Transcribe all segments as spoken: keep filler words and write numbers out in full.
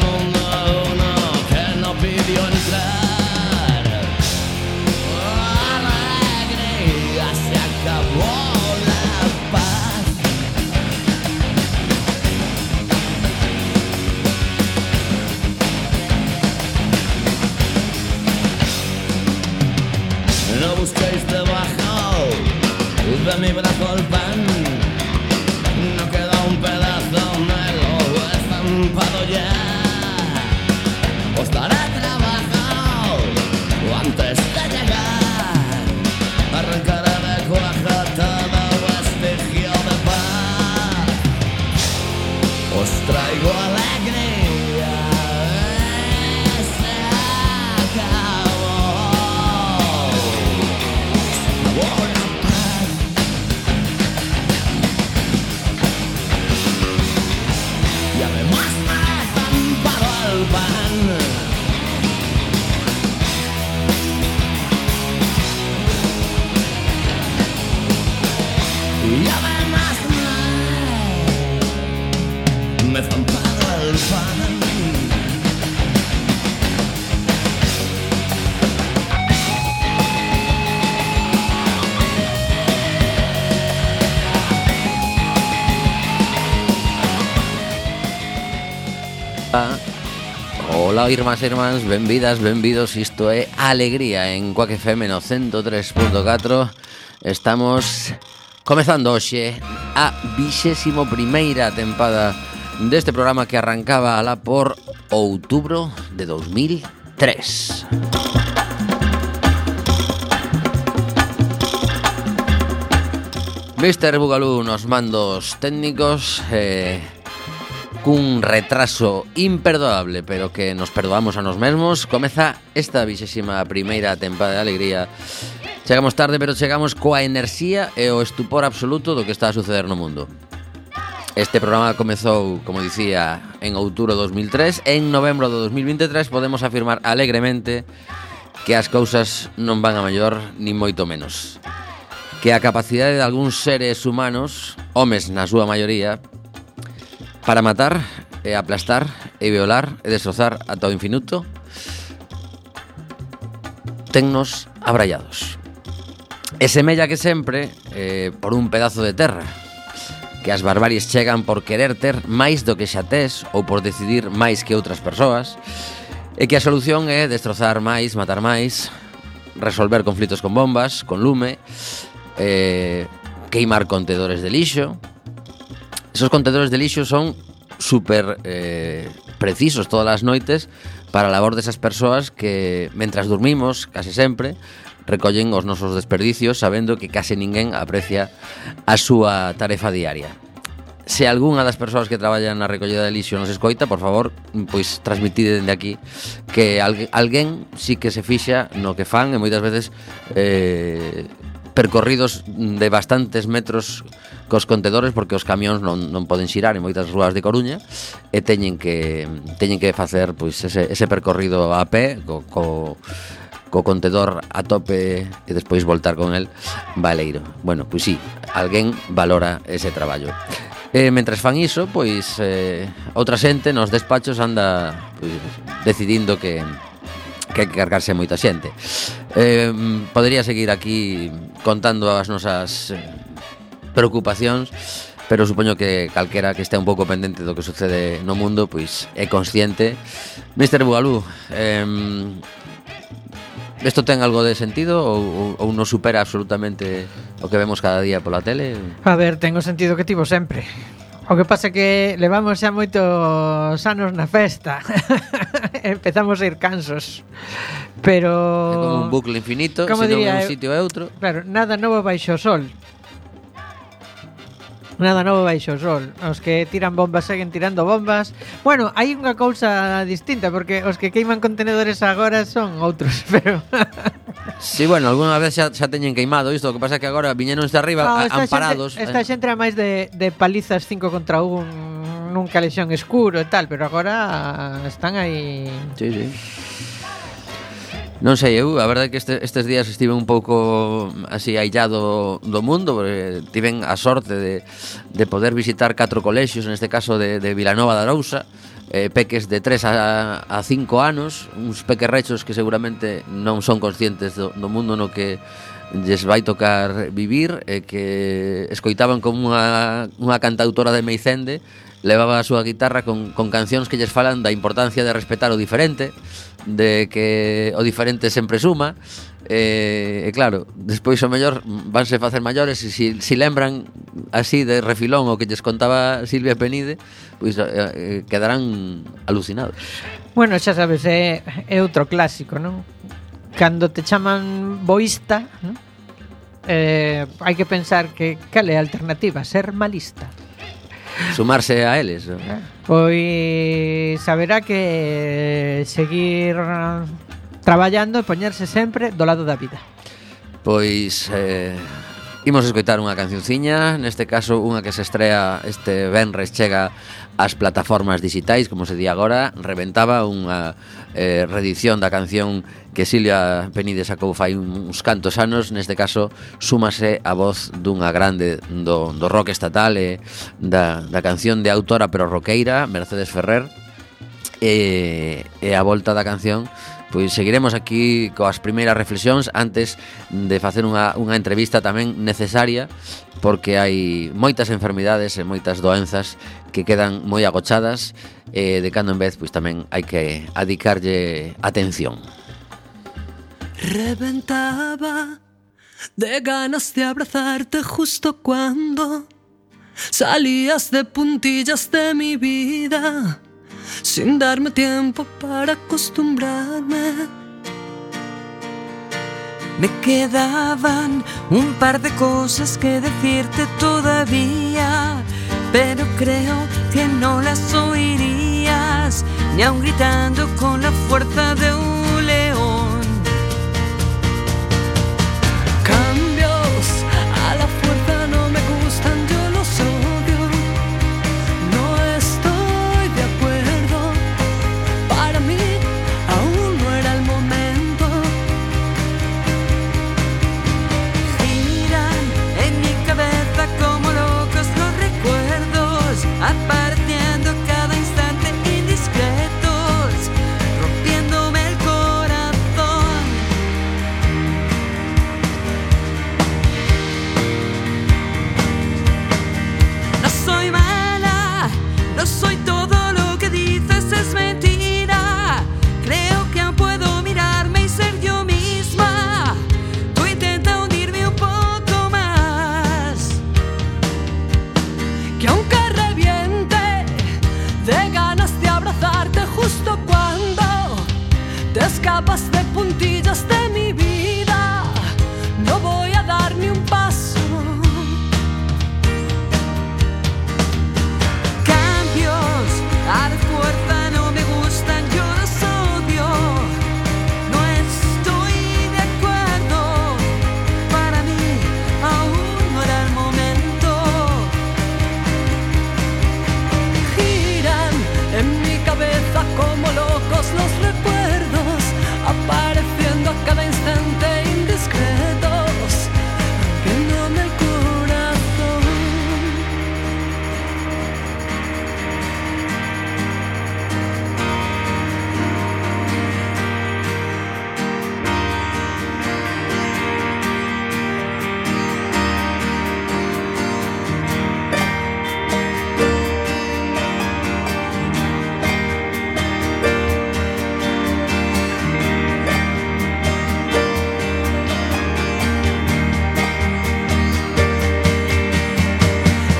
mundo uno que no pidió entrar. Alegría, se acabó la paz. No busquéis debajo de mi brazo el pan. No queda un pedazo, me lo he estampado ya. Os daré trabajo antes de llegar. Arrancaré de cuajo todo vestigio de paz. Os traigo alegría. Se acabó. Se acabó la paz. Y además me he estampado el pan. Y además me, me he estampado el pan. Ola, irmás e irmáns, benvidas, benvidos. Isto é Alegría en Quack F M no ciento tres punto catro. Estamos comezando hoxe a vixésimo primeira tempada deste programa que arrancaba alá por outubro de dos mil tres. mister Bugalú nos mandos técnicos, eh, cun retraso imperdoable, pero que nos perdoamos a nos mesmos. Comeza esta vixésima primeira tempada de Alegría. Chegamos tarde, pero chegamos coa enerxía e o estupor absoluto do que está a suceder no mundo. Este programa comezou, como dicía, en outubro de dos mil tres. En novembro de dos mil veintitrés podemos afirmar alegremente que as cousas non van a mellor, ni moito menos. Que a capacidade de algúns seres humanos, homes na súa maioría, para matar, e aplastar, e violar, e destrozar ata o infinito, tennos abrallados. E semella que sempre, eh, por un pedazo de terra, que as barbaries chegan por querer ter máis do que xa tes, ou por decidir máis que outras persoas, e que a solución é destrozar máis, matar máis, resolver conflitos con bombas, con lume, eh, queimar contedores de lixo. Esos contedores de lixo son super eh, precisos todas as noites para a labor desas persoas que, mentras dormimos, case sempre, recollen os nosos desperdicios sabendo que case ninguén aprecia a súa tarefa diaria. Se algunha das persoas que traballan na recollida de lixo nos escoita, por favor, pois transmitide dende aquí que alguén, alguén sí que se fixa no que fan, e moitas veces eh, percorridos de bastantes metros cos contedores, porque os camións non, non poden xirar en moitas rúas de Coruña e teñen que teñen que facer pois ese, ese percorrido a pé co, co, co contedor a tope e despois voltar con el baleiro. Bueno, pois sí, alguén valora ese traballo. E mentres fan iso, pois eh, outra xente nos despachos anda pois, decidindo que que hai que cargarse moita xente. Eh, podería seguir aquí contando as nosas eh, preocupacións, pero supoño que calquera que estea un pouco pendente do que sucede no mundo pois é consciente. mister Bugalú, eh, isto ten algo de sentido ou, ou non supera absolutamente o que vemos cada día pola tele? A ver, ten o sentido que tivo sempre. O que pasa é que levamos xa moitos anos na festa. Empezamos a ir cansos. Pero é como un bucle infinito, se non é un sitio é outro. Claro, nada novo baixo o sol. Nada novo baixo o sol. Os que tiran bombas seguen tirando bombas. Bueno, hai unha cousa distinta, porque os que queiman contenedores agora son outros, pero sí, bueno, alguna vez xa, xa teñen queimado isto. O que pasa é que agora viñeron de arriba no, amparados. Xente, esta xente era máis de, de palizas cinco contra un nun calexón escuro e tal, pero agora están aí. Sí, sí. Non sei, eu, a verdade é que este, estes días estive un pouco así aillado do mundo, porque tiven a sorte de, de poder visitar catro colexios, neste caso de, de Vilanova de Arousa, eh, peques de tres a cinco anos, uns pequerrechos que seguramente non son conscientes do, do mundo no que lles vai tocar vivir, e que escoitaban como unha, unha cantautora de Meicende levaba a súa guitarra con, con cancións que lles falan da importancia de respetar o diferente, de que o diferente sempre suma. E, e claro, despois o mellor vanse facer maiores e si, si lembran así de refilón o que lles contaba Silvia Penide, pois eh, quedarán alucinados. Bueno, xa sabes, é, é outro clásico, non? Cando te chaman boísta, non? Eh, hai que pensar que cal é a alternativa, ser malista. Sumarse a eles, non? Pois saberá que seguir traballando e poñerse sempre do lado da vida. Pois eh, imos escoitar unha cancionciña, neste caso unha que se estrea este venres, chega ás plataformas digitais, como se di agora. Reventaba unha eh, reedición da canción que Silvia Penide sacou fai uns cantos anos. Neste caso súmase a voz dunha grande do, do rock estatal e da, da canción de autora pero roqueira, Mercedes Ferrer. E, e a volta da canción, pois seguiremos aquí coas primeiras reflexións antes de facer unha, unha entrevista tamén necesaria, porque hai moitas enfermidades e moitas doenzas que quedan moi agochadas, e de cando en vez pois tamén hai que adicarlle atención. Reventaba de ganas de abrazarte justo cuando salías de puntillas de mi vida, sin darme tiempo para acostumbrarme. Me quedaban un par de cosas que decirte todavía, pero creo que no las oirías, ni aun gritando con la fuerza de un león. Cambios a la fuerza no me gustan, yo los odio. No estoy de acuerdo, para mí aún no era el momento. Giran en mi cabeza como locos los recuerdos, apareciendo cada instante indiscretos, rompiéndome el corazón. No soy mala, no soy todo lo que dices, es mentira. Creo que aún puedo mirarme y ser yo misma. Tú intenta hundirme un poco más, que aunque reviente de ganas de abrazarte justo cuando te escapas de puntillas de mi vida, no voy a dar ni un paso. Cambios a la fuerza no me gustan, yo los odio. No estoy de acuerdo, para mí aún no era el momento. Giran en mi cabeza como locos los recuerdos, apareciendo a cada instante indiscretos, rompiéndome el corazón.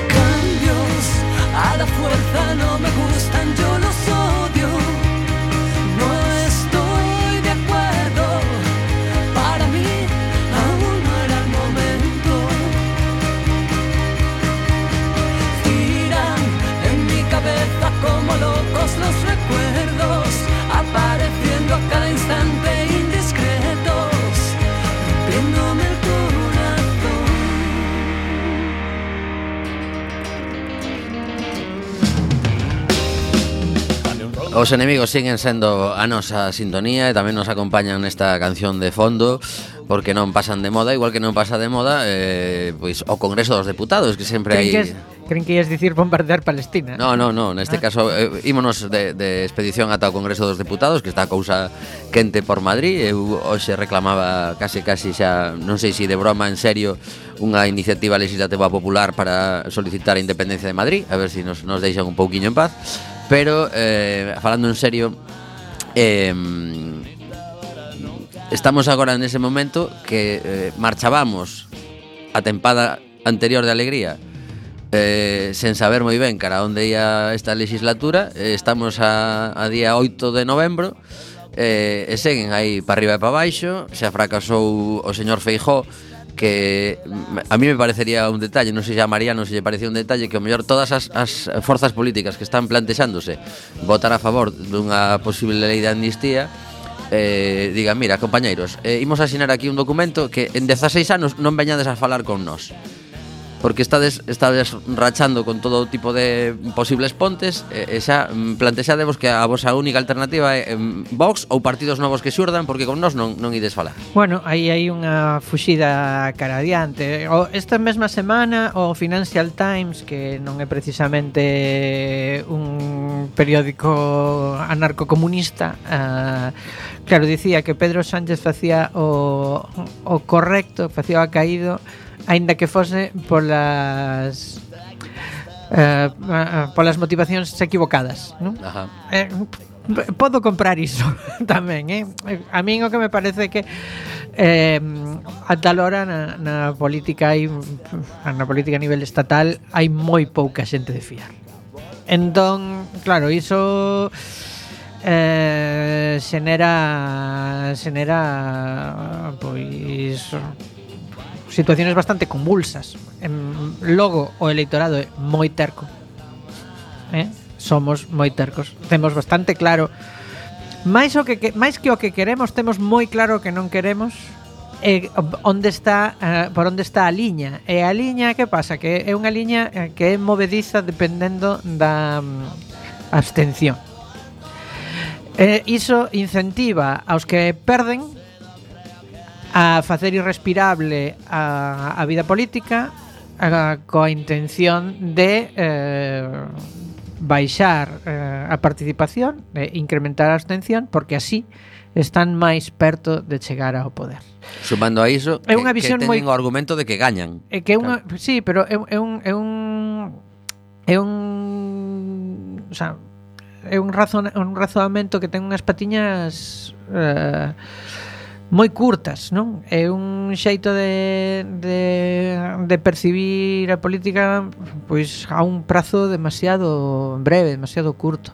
Cambios a la fuerza no me gustan, yo los odio. No estoy de acuerdo, para mí aún no era el momento. Giran en mi cabeza como locos los recuerdos, apareciendo a cada instante indiscretos, rompiéndome el corazón. Os enemigos siguen sendo a nosa sintonía e tamén nos acompañan nesta canción de fondo, porque non pasan de moda, igual que non pasa de moda eh, pois o Congreso dos Deputados, que sempre hai Crin que, Creen que ias dicir bombardear Palestina. No, no, no, neste Ah. caso eh, ímonos de, de expedición ata o Congreso dos Deputados, que está a cousa quente por Madrid. Eu hoxe reclamaba case case xa, non sei se de broma en serio, unha iniciativa legislativa popular para solicitar a independencia de Madrid, a ver se si nos, nos deixan un pouquiño en paz. Pero, eh, falando en serio, eh, estamos agora nese momento que eh, marchábamos a tempada anterior de alegría, eh, sen saber moi ben cara onde ia esta legislatura. eh, Estamos a, a día oito de novembro, eh, e seguen aí para arriba e para baixo. Xa fracasou o señor Feijóo, que a mí me parecería un detalle, non sei se a Mariano se lle parecía un detalle, que ao mellor todas as, as forzas políticas que están plantexándose votar a favor dunha posible lei de amnistía, eh, digan, mira, compañeiros, eh, imos a asinar aquí un documento que en dezaseis anos non veñades a falar con nós, porque estades, estades rachando con todo tipo de posibles pontes, e, e xa plantexadevos que a vosa única alternativa é em, Vox ou partidos novos que xurdan, porque con nós non, non ides falar. Bueno, aí hai unha fuxida cara adiante. O, esta mesma semana o Financial Times, que non é precisamente un periódico anarcocomunista, uh, claro, dicía que Pedro Sánchez facía o, o correcto, facía o caído, aínda que fose polas eh, polas motivacións equivocadas, non? Ajá. Eh, podo comprar iso tamén, eh? A min o que me parece que eh, a tal hora na, na política hai na política a nivel estatal hai moi pouca xente de fiar. Entón, claro, iso eh, xenera xenera pois situaciones bastante convulsas. En, logo o eleitorado é moi terco, eh? Somos moi tercos, temos bastante claro máis o que, que máis que o que queremos, temos moi claro o que non queremos, e onde está, uh, por onde está a liña. E a liña, que pasa? Que é unha liña que é movediza dependendo da um, abstención. E iso incentiva aos que perden a facer irrespirable a, a vida política, a, coa intención de eh, baixar eh, a participación, de incrementar a abstención, porque así están máis perto de chegar ao poder. Sumando a iso, É que, unha que visión teñen moi- o argumento de que gañan. É que é unha, claro. Sí, pero é, é un é un é un, o sea, é un razón un razoamento que ten unhas patiñas eh, moi curtas, non? É un xeito de, de, de percibir a política pois a un prazo demasiado breve, demasiado curto.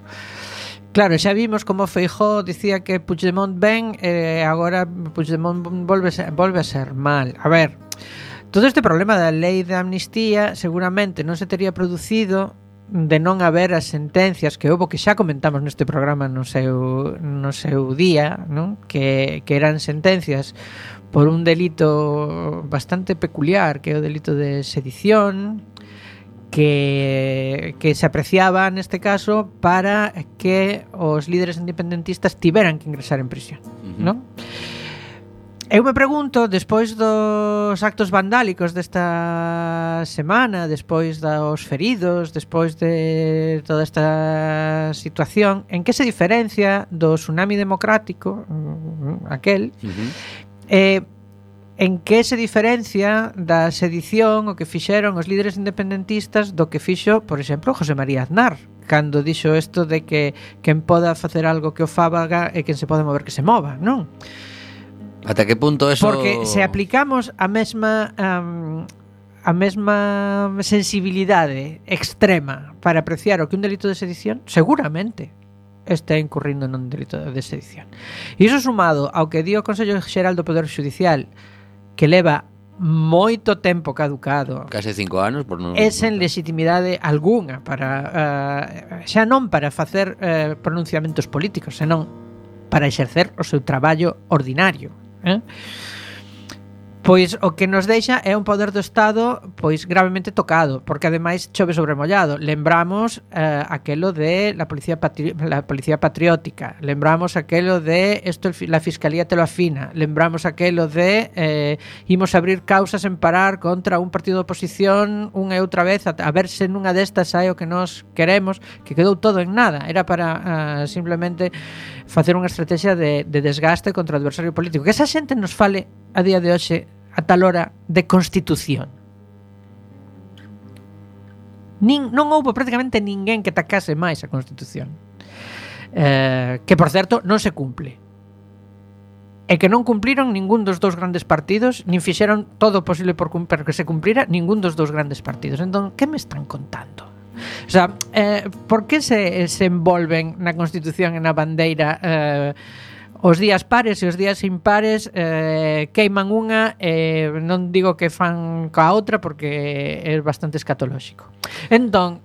Claro, xa vimos como Feijóo dicía que Puigdemont ben e eh, agora Puigdemont volve, volve a ser mal. A ver, todo este problema da lei de amnistía seguramente non se tería producido de non haber as sentencias que houbo, que xa comentamos neste programa no seu, no seu día, non? Que, que eran sentencias por un delito bastante peculiar, que é o delito de sedición, que, que se apreciaba neste caso para que os líderes independentistas tiveran que ingresar en prisión, uh-huh. non? Eu me pregunto, despois dos actos vandálicos desta semana, despois dos feridos, despois de toda esta situación, en que se diferencia do tsunami democrático, aquel, uh-huh. eh, en que se diferencia da sedición o que fixeron os líderes independentistas do que fixo, por exemplo, José María Aznar, cando dixo isto de que quen poda facer algo que o fábaga e quen se pode mover que se mova, non? Ata que punto eso... Porque se aplicamos a mesma um, a mesma sensibilidade extrema para apreciar o que un delito de sedición, seguramente está incurrindo nun delito de sedición. E iso sumado ao que di o Consello Xeral do Poder Xudicial, que leva moito tempo caducado, case cinco anos, por non... é sen legitimidade algunha para uh, xa non para facer uh, pronunciamentos políticos, senón para exercer o seu traballo ordinario. Eh? pois o que nos deixa é un poder do Estado pois gravemente tocado, porque ademais chove sobre mollado. Lembramos eh, aquelo de la policía patri la policía patriótica, lembramos aquelo de esto la fiscalía te lo afina, lembramos aquelo de eh, imos abrir causas en parar contra un partido de oposición unha e outra vez a, a ver se nunha destas hai o que nos queremos, que quedou todo en nada. Era para uh, simplemente facer unha estrategia de, de desgaste contra o adversario político. Que esa xente nos fale a día de hoxe a tal hora de Constitución. Nin, non houbo prácticamente ninguén que tacase máis a Constitución. Eh, que, por certo, non se cumple. E que non cumpliron ningún dos dous grandes partidos, nin fixeron todo o posible por cumplir que se cumplira ningún dos dous grandes partidos. Entón, que me están contando? O sea, eh, por que se, se envolven na Constitución e na bandeira eh, os días pares e os días impares eh, queiman unha e eh, non digo que fan coa outra porque é bastante escatolóxico. Entón,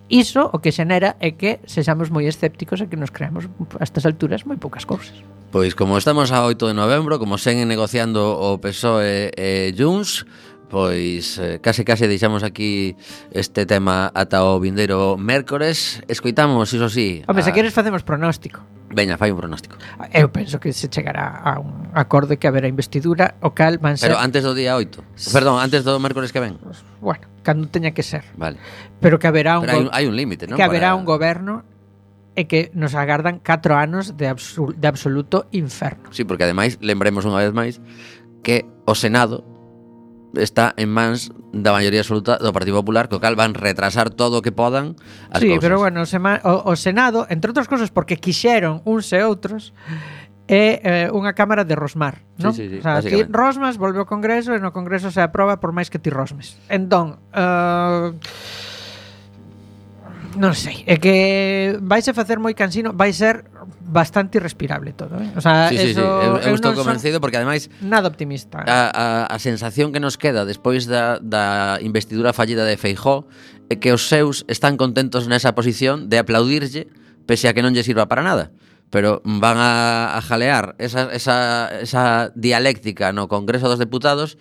iso o que xenera é que sexamos moi escépticos e que nos creamos a estas alturas moi poucas cousas. Pois como estamos a oito de novembro, como seguen negociando o P S O E e Junts, pois eh, case case deixamos aquí este tema ata o vindeiro mércores. Escoitamos, iso sí. Home, a... se queres facemos pronóstico. Veña, fai un pronóstico. Eu penso que se chegará a un acordo que haberá investidura, o cal van ser... Pero antes do día oito. Perdón, antes do mércores que ven. Bueno, cando teña que ser. Vale. Pero que haberá un Pero hai go... un, hai un límite, non? Que haberá Para... un goberno e que nos agardan catro anos de, absol... de absoluto inferno. Sí, porque ademais, lembremos unha vez máis que o Senado está en mans da maioría absoluta do Partido Popular, co cal van retrasar todo o que podan as sí, cousas. pero bueno, o, sema, o, o Senado, entre outras cousas porque quixeron uns e outros, é eh, unha cámara de rosmar, non? Sí, sí, sí, o sea, ti rosmas, volve ao Congreso e no Congreso se aproba por máis que ti rosmes. Entón, uh, non sei, é que vais a facer moi cansino, vai ser bastante irrespirable todo, eh? O sea, sí, sí, eso, sí. Eu, eu eu estou non convencido porque ademais nada optimista. A, a, a sensación que nos queda despois da, da investidura fallida de Feijóo é que os seus están contentos nesa posición de aplaudirlle pese a que non lle sirva para nada, pero van a, a jalear esa, esa, esa dialéctica no Congreso dos Deputados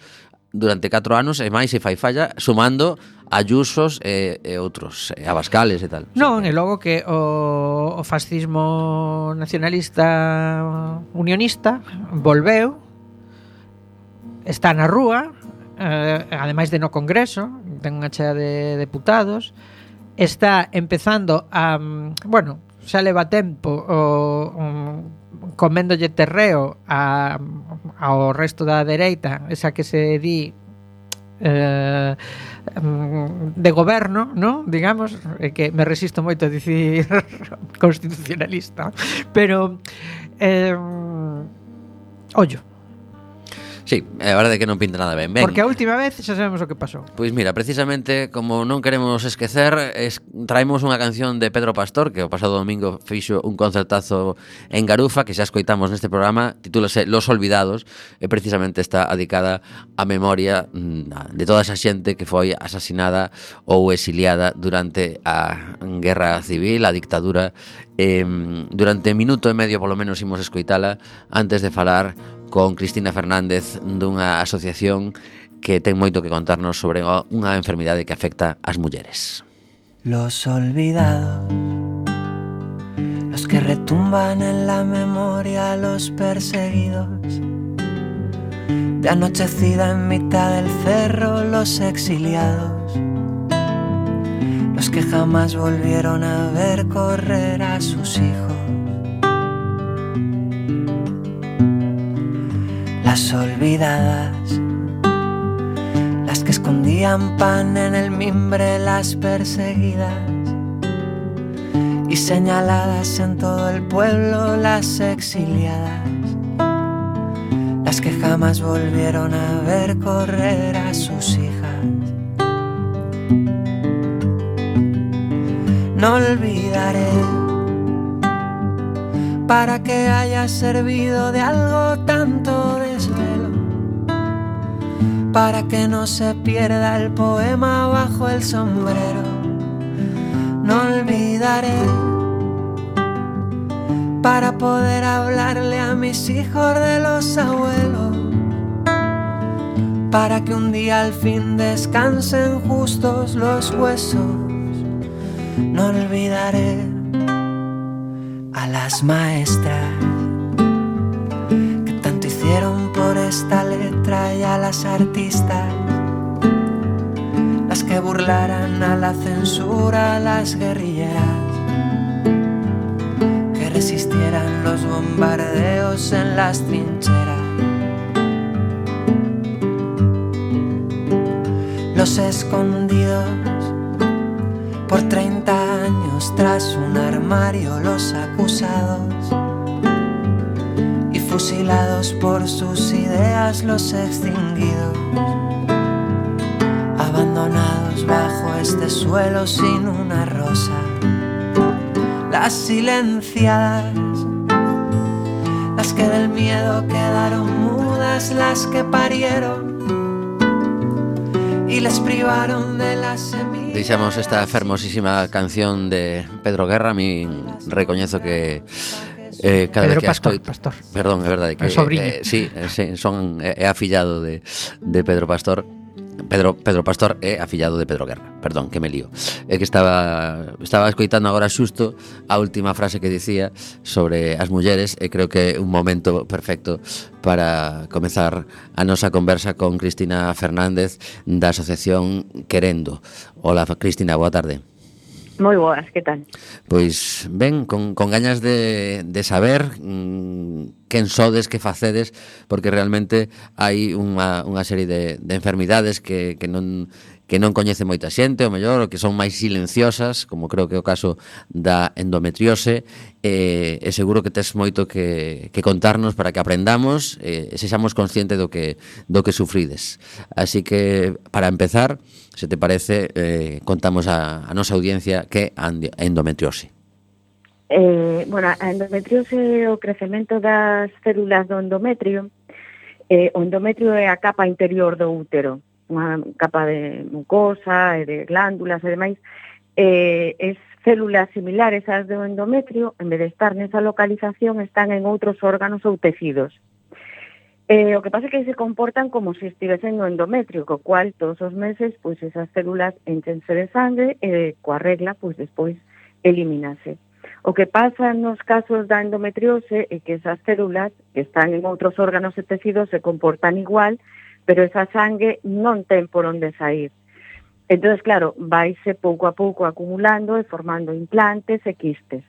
durante catro anos e máis se fai falla sumando Ayusos e, e outros, e Abascales e tal. Non, e logo que o, o fascismo nacionalista unionista volveu, está na rúa, eh, ademais de no Congreso, ten unha chea de deputados, está empezando a, bueno, xa leva tempo o, um, coméndolle terreo a, ao resto da dereita, esa que se di eh, de goberno, ¿no? Digamos, eh, que me resisto moito a dicir constitucionalista, pero eh, ollo. Sí, a verdade é que non pinta nada ben. ben. Porque a última vez xa sabemos o que pasou. Pois mira, precisamente como non queremos esquecer, es, traemos unha canción de Pedro Pastor, que o pasado domingo fixo un concertazo en Garufa, que xa escoitamos neste programa, titúlase Los Olvidados, e precisamente está dedicada á memoria de toda esa xente que foi asasinada ou exiliada durante a Guerra Civil, a dictadura. Eh, durante minuto e medio polo menos imos escoitala antes de falar con Cristina Fernández dunha asociación que ten moito que contarnos sobre unha enfermidade que afecta ás mulleres. Los olvidados, los que retumban en la memoria, los perseguidos, de anochecida en mitad del cerro, los exiliados, los que jamás volvieron a ver correr a sus hijos. Las olvidadas, las que escondían pan en el mimbre, las perseguidas y señaladas en todo el pueblo, las exiliadas, las que jamás volvieron a ver correr a sus hijas. No olvidaré para que haya servido de algo tanto desvelo, para que no se pierda el poema bajo el sombrero. No olvidaré para poder hablarle a mis hijos de los abuelos. para que un día al fin descansen justos los huesos. No olvidaré a las maestras que tanto hicieron por esta letra, y a las artistas, las que burlaran a la censura, las guerrilleras que resistieran los bombardeos en las trincheras. Los escondidos por treinta años tras un armario, los acusados y fusilados por sus ideas, los extinguidos, abandonados bajo este suelo sin una rosa. Las silenciadas, las que del miedo quedaron mudas, las que parieron y les privaron de la semilla. Deixamos esta fermosísima canción de Pedro Guerra. A mí recoñezo que eh, cada Pedro vez que Pastor, escoito... Pastor. Perdón, é verdade que El sobriño. eh, sí, sí, son é afillado de de Pedro Pastor. Pedro Pedro Pastor é afillado de Pedro Guerra. Perdón, que me lío. É que estaba estaba escoitando agora xusto a última frase que dicía sobre as mulleres, e creo que é un momento perfecto para comezar a nosa conversa con Cristina Fernández da Asociación Querendo. Hola, Cristina, boa tarde. Moi boas, que tal? Pois ben, con, con gañas de, de saber mmm, quen sodes, que facedes, porque realmente hai unha, unha serie de, de enfermidades que, que non que non coñece moita xente, o mellor, o que son máis silenciosas, como creo que é o caso da endometriose, e, e seguro que tes moito que, que contarnos para que aprendamos e, e sexamos conscientes do que, do que sufrides. Así que, para empezar, se te parece, eh, contamos a, a nosa audiencia que a endometriose. Eh, bueno, a endometriose é o crecemento das células do endometrio. Eh, o endometrio é a capa interior do útero, unha capa de mucosa e de glándulas e demais. Eh, es células similares ás do endometrio, en vez de estar nesa localización, están en outros órganos ou tecidos. Eh, o que pasa é que se comportan como se estivesen no endometrio, co cual todos os meses pois esas células enchense de sangue e coa regla pois despois elimínase. O que pasa nos casos da endometriose é que esas células que están en outros órganos e tecidos se comportan igual, pero esa sangue non ten por onde sair. Entón, claro, vaise pouco a pouco acumulando e formando implantes e quistes.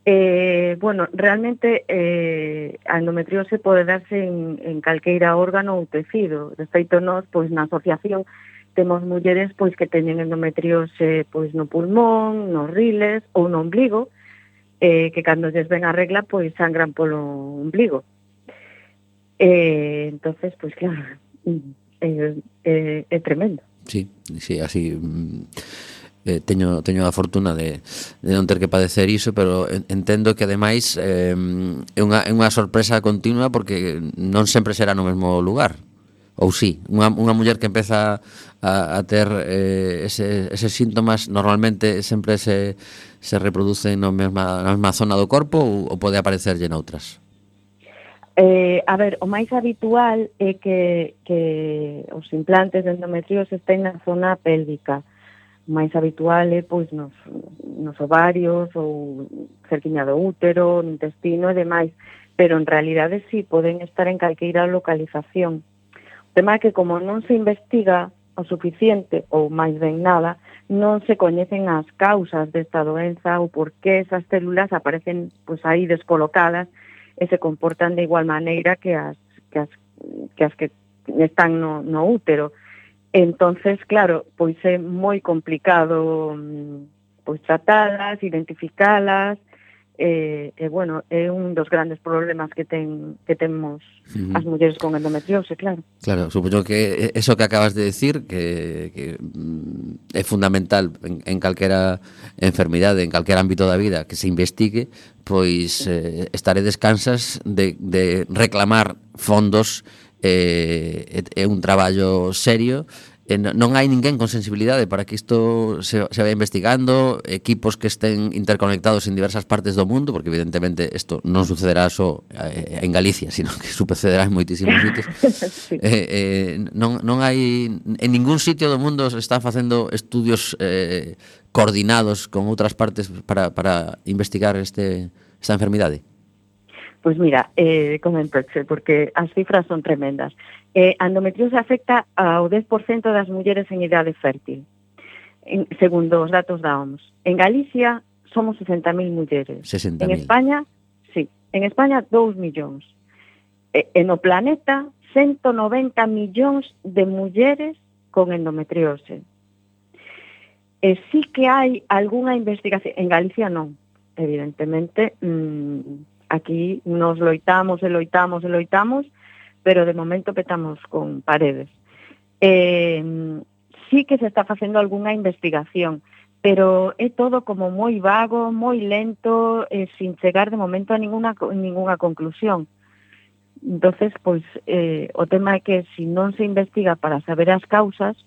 Eh, bueno, realmente eh, a endometriose pode darse en, en calqueira órgano ou tecido. De feito, nós, pois, na asociación temos mulleres pois que teñen endometriose pois no pulmón, nos riles ou no ombligo, eh, que cando lles ven a regla pois sangran polo ombligo. Eh, entonces, pois claro, é, é, é tremendo. Sí, sí, así... Eh, teño teño a fortuna de, de non ter que padecer iso, pero entendo que ademais eh, é unha, é unha sorpresa continua, porque non sempre será no mesmo lugar. Ou sí, unha, unha muller que empeza a, a ter eh, ese, eses síntomas normalmente sempre se, se reproducen no mesma, na mesma zona do corpo, ou, ou pode aparecerlle noutras? Eh, a ver, o máis habitual é que, que os implantes de endometriose estén na zona pélvica. O máis habitual é pois nos, nos ovarios ou cerquiña do útero, no intestino e demais, pero en realidade sí poden estar en calqueira localización. O tema é que como non se investiga o suficiente ou máis ben nada, non se coñecen as causas desta doenza ou por que esas células aparecen pois aí descolocadas e se comportan de igual maneira que as que as que, as que están no, no útero. Entonces, claro, pois é moi complicado pois tratalas, identificalas, e, e bueno, é un dos grandes problemas que ten que temos uh-huh. as mulleres con endometriose, claro. Claro, supoño que eso que acabas de decir, que, que é fundamental en, en calquera enfermidade, en calquera ámbito da vida, que se investigue, pois eh, estaredes cansas de, de reclamar fondos. É, é un traballo serio eh, non hai ninguén con sensibilidade para que isto se, se vaya investigando, equipos que estén interconectados en diversas partes do mundo, porque evidentemente isto non sucederá só eh, en Galicia, sino que sucederá en moitísimos sitios. Sí. eh, eh, non, non hai en ningún sitio do mundo se están facendo estudios eh, coordinados con outras partes para, para investigar este, esta enfermidade. Pois mira, eh, comentoche, porque as cifras son tremendas. Eh, a endometriose afecta ao dez por cento das mulleres en idade fértil, en, segundo os datos da O M S. En Galicia somos sesenta mil mulleres. sesenta En mil. España, sí, en España dous millóns. E, e no planeta, ciento noventa millóns de mulleres con endometriose. E sí que hai algunha investigación, en Galicia non, evidentemente, mmm, aquí nos loitamos e loitamos e loitamos, pero de momento petamos con paredes. Eh, sí que se está facendo algunha investigación, pero é todo como moi vago, moi lento, eh, sin chegar de momento a ninguna, ninguna conclusión. Entonces, pois, eh, o tema é que se non se investiga para saber as causas,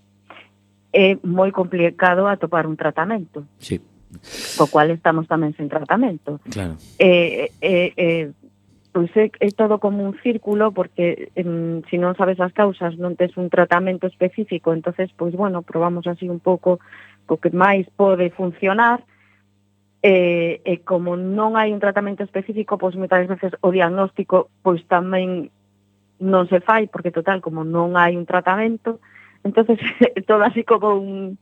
é moi complicado atopar un tratamento. Sí. Co cual estamos tamén sen tratamento. Claro. Eh, eh, eh, pois é, é todo como un círculo, porque eh, se non sabes as causas, non tes un tratamento específico, entonces, pois, bueno, probamos así un pouco co que máis pode funcionar, e, e como non hai un tratamento específico, pois moitas veces o diagnóstico pois tamén non se fai, porque total, como non hai un tratamento, entonces todo así como un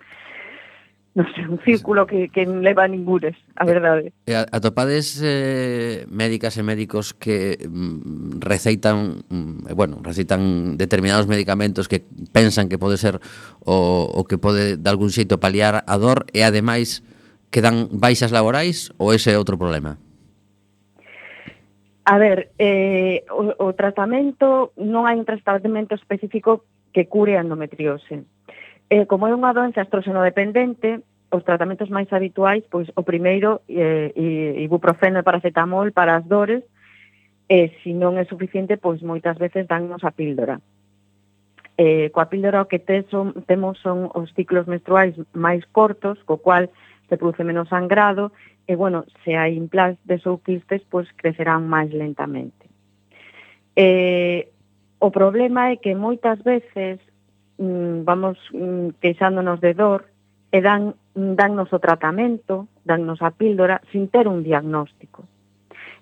non sei, un círculo que, que non leva a ningures, a verdade. E atopades eh, médicas e médicos que mm, receitan, mm, bueno, receitan determinados medicamentos que pensan que pode ser o, o que pode de algún xeito paliar a dor e ademais que dan baixas laborais, ou ese é outro problema? A ver, eh, o, o tratamento, non hai un tratamento específico que cure a endometriose. Eh, como é unha doenza estróxeno-dependente, os tratamentos máis habituais, pois o primeiro, eh, ibuprofeno e paracetamol para as dores, e se non é suficiente, pois moitas veces dannos a píldora. Eh, coa píldora o que te son, temos son os ciclos menstruais máis cortos, co cual se produce menos sangrado, e, bueno, se hai implantes ou quistes, pois crecerán máis lentamente. Eh, o problema é que moitas veces vamos queixándonos de dor e dan, dannos o tratamento, dannos a píldora, sin ter un diagnóstico.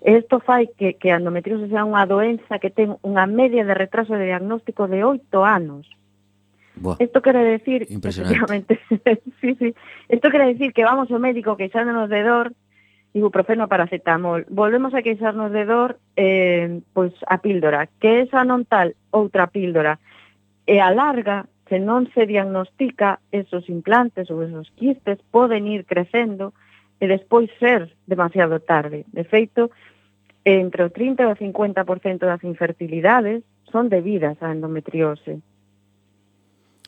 E isto fai que, que a endometriose sea unha doenza que ten unha media de retraso de diagnóstico de oito anos. Buah. Isto quere decir, impresionante. sí, sí, isto quere decir que vamos ao médico queixándonos de dor, ibuprofeno, paracetamol, volvemos a queixarnos de dor, eh, pois a píldora, que esa non tal, outra píldora, e a larga, se non se diagnostica, esos implantes ou esos quistes poden ir crecendo e despois ser demasiado tarde. De feito, entre o trinta e o cincuenta por cento das infertilidades son debidas á endometriose.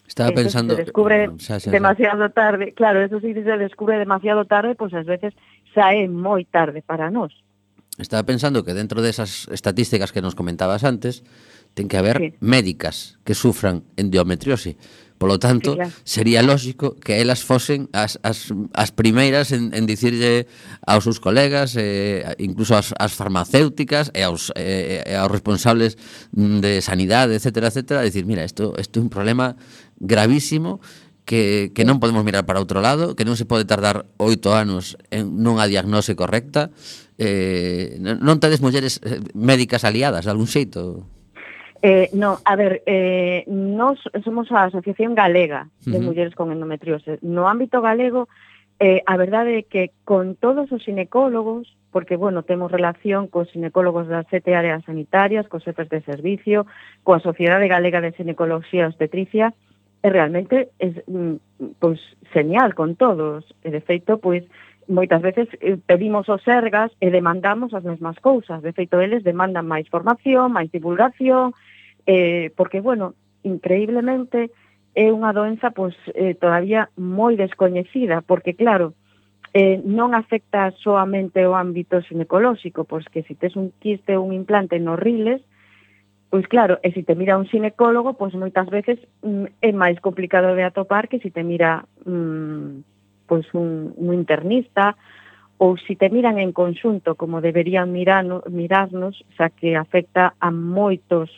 Estaba eso pensando... se descubre xa, xa, xa. demasiado tarde. Claro, eso si se descubre demasiado tarde, pois ás veces xa é moi tarde para nós. Estaba pensando que dentro desas estatísticas que nos comentabas antes, ten que haber Sí. médicas que sufran endometriose. Por lo tanto, Sí, claro. sería lógico que elas fosen as, as, as primeiras en, en dicirlle aos seus colegas, eh, incluso as, as farmacéuticas e aos, eh, e aos responsables de sanidade, etcétera, etcétera, decir, mira, isto, isto é un problema gravísimo que, que non podemos mirar para outro lado, que non se pode tardar oito anos en nunha diagnose correcta. Eh, non tedes mulleres médicas aliadas de algún xeito? Eh, no, a ver, eh, nos somos a Asociación Galega de Uh-huh. Mulleres con Endometriose. No ámbito galego, eh, a verdade é que con todos os xinecólogos, porque, bueno, temos relación cos xinecólogos das sete áreas sanitarias, cos xefes de servicio, coa Sociedade Galega de Xinecoloxía e Obstetricia, e realmente é, pois, señal con todos. E, de feito, pois, moitas veces eh, pedimos os sergas e demandamos as mesmas cousas. De feito, eles demandan máis formación, máis divulgación, eh, porque, bueno, increíblemente é unha doenza pois, eh, todavía moi descoñecida, porque, claro, eh, non afecta soamente o ámbito ginecolóxico, pois que se tes un quiste ou un implante nos riles, Pois claro, e se te mira un xinecólogo, pois moitas veces mm, é máis complicado de atopar que se te mira mm, pois un, un internista, ou se te miran en conxunto como deberían mirano, mirarnos, xa que afecta a moitos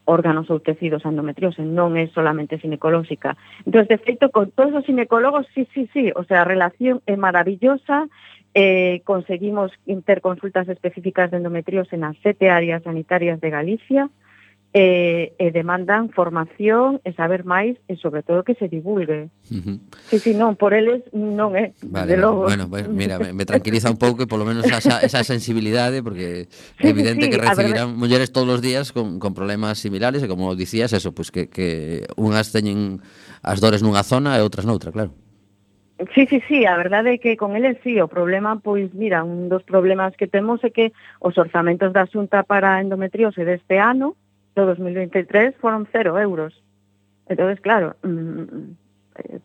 órganos ou tecidos a endometriose, non é solamente ginecolóxica. Entón, de feito, con todos os ginecólogos, sí, sí, sí, o sea, a relación é maravillosa, eh, conseguimos ter consultas específicas de endometriose nas sete áreas sanitarias de Galicia, e, e demandan formación e saber máis e sobre todo que se divulgue. Uh-huh. Sí, sí, non, por eles non é, Vale, de logo. bueno, pues, mira, me, me tranquiliza un pouco e polo menos esa, esa sensibilidade, porque é Sí, evidente sí, que a recibirán mulleres todos os días con, con problemas similares e como dicías, eso, pues que, que unhas teñen as dores nunha zona e outras noutra, claro. Sí, sí, sí, a verdade é que con eles sí, o problema, pois, mira, un dos problemas que temos é que os orzamentos da Xunta para a endometriose deste ano, do dos mil veintitrés, foron cero euros. Entonces, claro, mmm,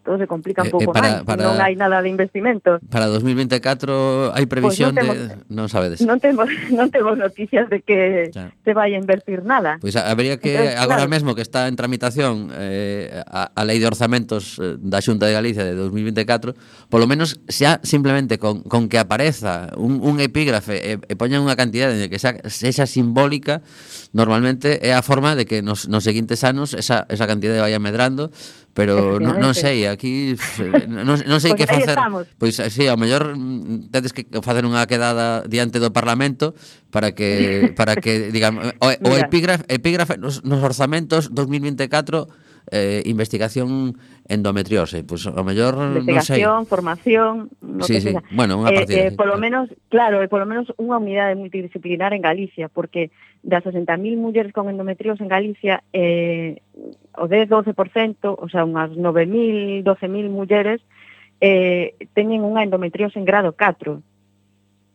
todo se complica un Eh, pouco eh, para- máis, para- non hai nada de investimento. Para dos mil veinticuatro hai previsión Pois non de... temos- Non sabedes. Non temos, non temos noticias de que Claro. se vai a invertir nada. Pois a- habería que, Entonces, agora claro. mesmo que está en tramitación eh, a, a Lei de Orzamentos eh, da Xunta de Galicia de dos mil veinticuatro, polo menos xa simplemente con, con que apareza un, un epígrafe e, e poñan unha cantidade de que xa, sexa simbólica, normalmente é a forma de que nos, nos seguintes anos esa, esa cantidade vaya medrando, pero non, non sei, aquí eh, non, non sei Pois que aí facer. estamos. Pois si, ao mellor mm, tedes que facer unha quedada diante do Parlamento para que para que digan o, o Mira. epígrafe, epígrafe nos, nos orzamentos dos mil veinticuatro eh, investigación endometriose, pois ao mellor non sei. Investigación, formación, no Sí, que sí, sea. bueno, unha Eh, partida, eh, sí, polo claro. menos, claro, e polo menos unha unidade multidisciplinar en Galicia, porque das sesenta mil mulleres con endometriose en Galicia, eh, o dez a doce por cento, o sea, unhas nove mil, doce mil mulleres, eh, teñen unha endometriose en grado catro.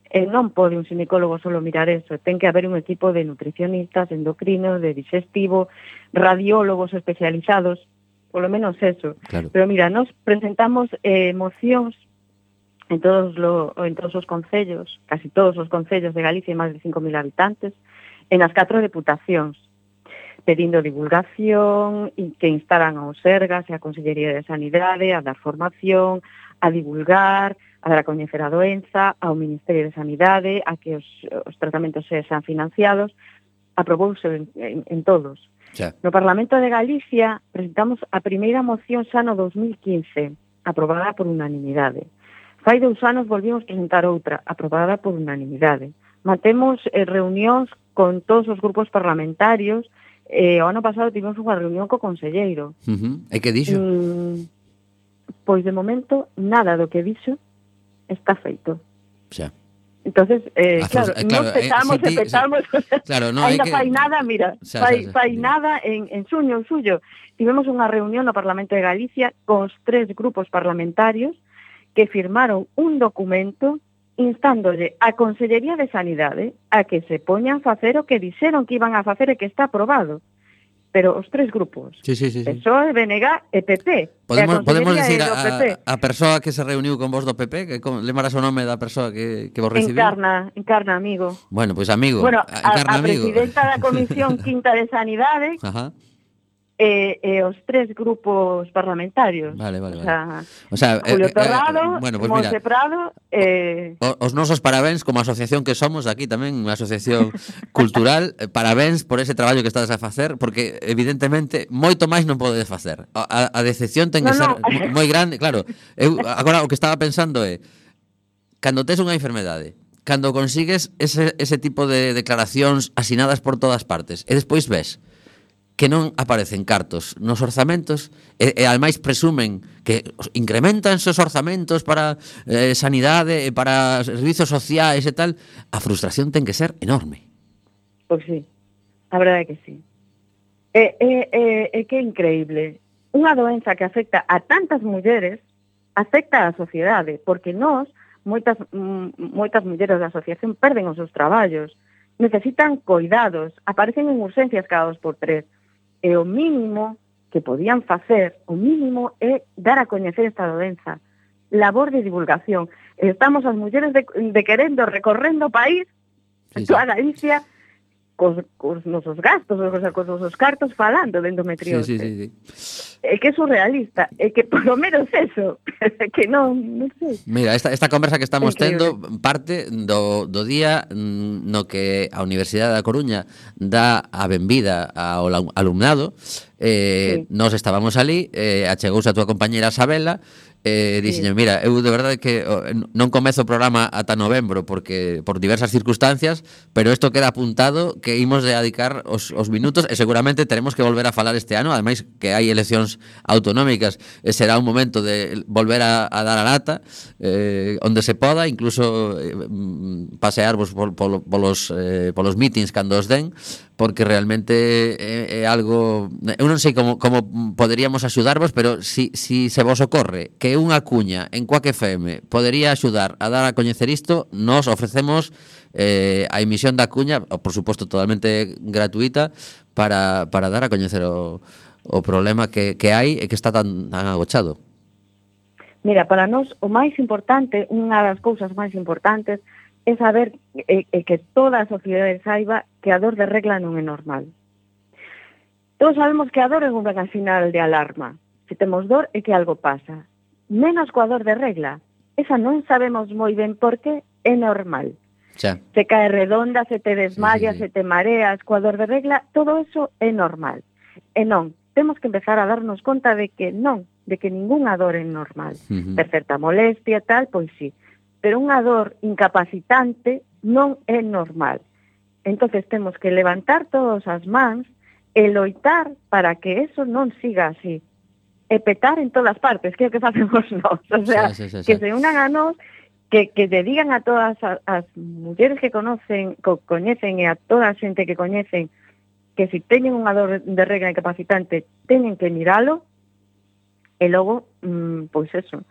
E non pode un xinecólogo solo mirar eso, ten que haber un equipo de nutricionistas, endocrinos, de digestivo, radiólogos especializados, polo menos eso. Claro. Pero mira, nos presentamos eh, mocións en todos, lo, en todos os concellos, casi todos os concellos de Galicia, máis de cinco mil habitantes, en as catro deputacións, pedindo divulgación e que instaran aos Sergas e a Consellería de Sanidade a dar formación, a divulgar, a dar a coñecer a doenza, ao Ministerio de Sanidade, a que os, os tratamentos sexan financiados, aprobouse en, en, en todos. Xa. No Parlamento de Galicia presentamos a primeira moción xa no dos mil quince, aprobada por unanimidade. Fai dous anos volvimos presentar outra, aprobada por unanimidade. Mantemos eh, reunións con todos os grupos parlamentarios. Eh, o ano pasado tivemos unha reunión co conselleiro. Uh-huh. E que dixo? Mm, pois de momento nada do que dixo está feito. Xa. Entonces, eh, Ah, claro, pues, eh, claro, nos petamos eh, e sí, petamos. Claro, no, hai Ainda que- fai nada, mira, Xa, fai, xa, xa. fai nada en, en suño, en suyo. Tivemos unha reunión no Parlamento de Galicia con os tres grupos parlamentarios que firmaron un documento instándolle a Consellería de Sanidade a que se poñan a facer o que dixeron que iban a facer e que está aprobado. Pero os tres grupos, Sí, sí, sí, sí. P S O E, B N G e P P. Podemos, e a podemos Consellería decir é do P P. a, a persoa que se reuniu con vos do P P, que con, lembrarás o nome da persoa que, que vos recibiu? Encarna, encarna, amigo. Bueno, pois pues, amigo. Bueno, a, encarna a amigo. presidenta da Comisión Quinta de Sanidade Ajá. e, e os tres grupos parlamentarios. Vale, vale, O sea, O sea, Julio eh, eh, Torrado, bueno, pues Monse mira, Prado, eh, o- os nosos parabéns como asociación que somos aquí tamén, unha asociación cultural, eh, parabéns por ese traballo que estades a facer, porque evidentemente moito máis non podedes facer. A, a, a decepción ten que No, ser no. mo- moi grande, claro. Eu agora o que estaba pensando é cando tes unha enfermedade, cando consigues ese, ese tipo de declaracións asinadas por todas partes, e despois ves que non aparecen cartos nos orzamentos e, e ademais presumen que os- incrementanse os orzamentos para eh, sanidade e para servizos sociais e tal, a frustración ten que ser enorme. pois sí, a verdade é que sí. É, é, é, é que é increíble. Unha doenza que afecta a tantas mulleres afecta á sociedade, porque nós, moitas, mm, moitas mulleres da asociación perden os seus traballos, necesitan cuidados, aparecen en urgencias cada dos por tres. E o mínimo que podían facer, o mínimo é dar a coñecer esta doenza, labor de divulgación. Estamos as mulleres de, de querendo recorrendo o país, Sí, sí. toda Galicia, cos, cos nosos gastos, o sea, cos nosos cartos falando de endometriose. Sí, sí, sí, sí. É que é surrealista, é que por lo menos eso, que non, non sei. Mira, esta, esta conversa que estamos Increíble. tendo parte do, do día mm, no que a Universidade da Coruña dá a benvida ao la- alumnado. Eh, Sí. Nós estábamos ali, eh, achegouse a túa compañera Sabela, eh, dixenlle, mira, eu de verdade que oh, non comezo o programa ata novembro porque por diversas circunstancias, pero isto queda apuntado que imos de dedicar os, os minutos e seguramente teremos que volver a falar este ano, ademais que hai eleccións autonómicas, e será un momento de volver a, a dar a lata eh, onde se poda, incluso eh, mm, pasearvos pol, pol, polos, eh, polos meetings cando os den, porque realmente é, é algo, eu non sei como, como poderíamos axudarvos, pero si, si se vos ocorre que unha cuña en Quack F M podería axudar a dar a coñecer isto, nos ofrecemos eh, a emisión da cuña, por suposto totalmente gratuita, para, para dar a coñecer o, o problema que, que hai e que está tan, tan agochado. Mira, para nós o máis importante, unha das cousas máis importantes é saber e, e que toda a sociedade saiba que a dor de regla non é normal. Todos sabemos que a dor é unha sinal de alarma. Se temos dor é que algo pasa. Menos coa dor de regla. Esa non sabemos moi ben por que é normal. Xa. Se cae redonda, se te desmayas, Sí, sí, sí. se te mareas, coa dor de regla, todo eso é normal. E non, temos que empezar a darnos conta de que non, de que ningunha dor é normal. Uh-huh. Per certa molestia, tal, pois sí. Pero unha dor incapacitante non é normal. Entonces temos que levantar todas as mans e loitar para que eso non siga así. E petar en todas partes, que é o que facemos nós. O sea, Sí, sí, sí, sí. que se unan a nós, que, que te digan a todas as, as mulleres que conocen, co, coñecen e a toda a xente que coñecen que se teñen unha dor de regla incapacitante teñen que miralo e logo, mmm, pois eso,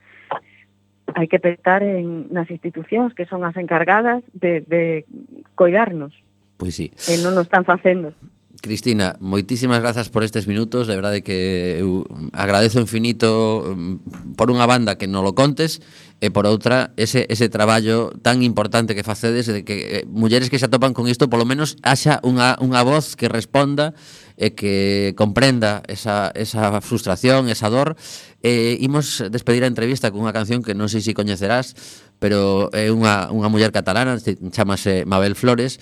hai que petar en, nas institucións que son as encargadas de, de coidarnos Pois sí. e non nos están facendo. Cristina, moitísimas grazas por estes minutos, de verdade que eu agradezo infinito mm, por unha banda que non lo contes e por outra ese, ese traballo tan importante que facedes de que eh, mulleres que se atopan con isto polo menos haxa unha, unha voz que responda e que comprenda esa, esa frustración, esa dor. E imos despedir a entrevista con unha canción que non sei se coñecerás, pero é unha, unha muller catalana, chamase Mabel Flores,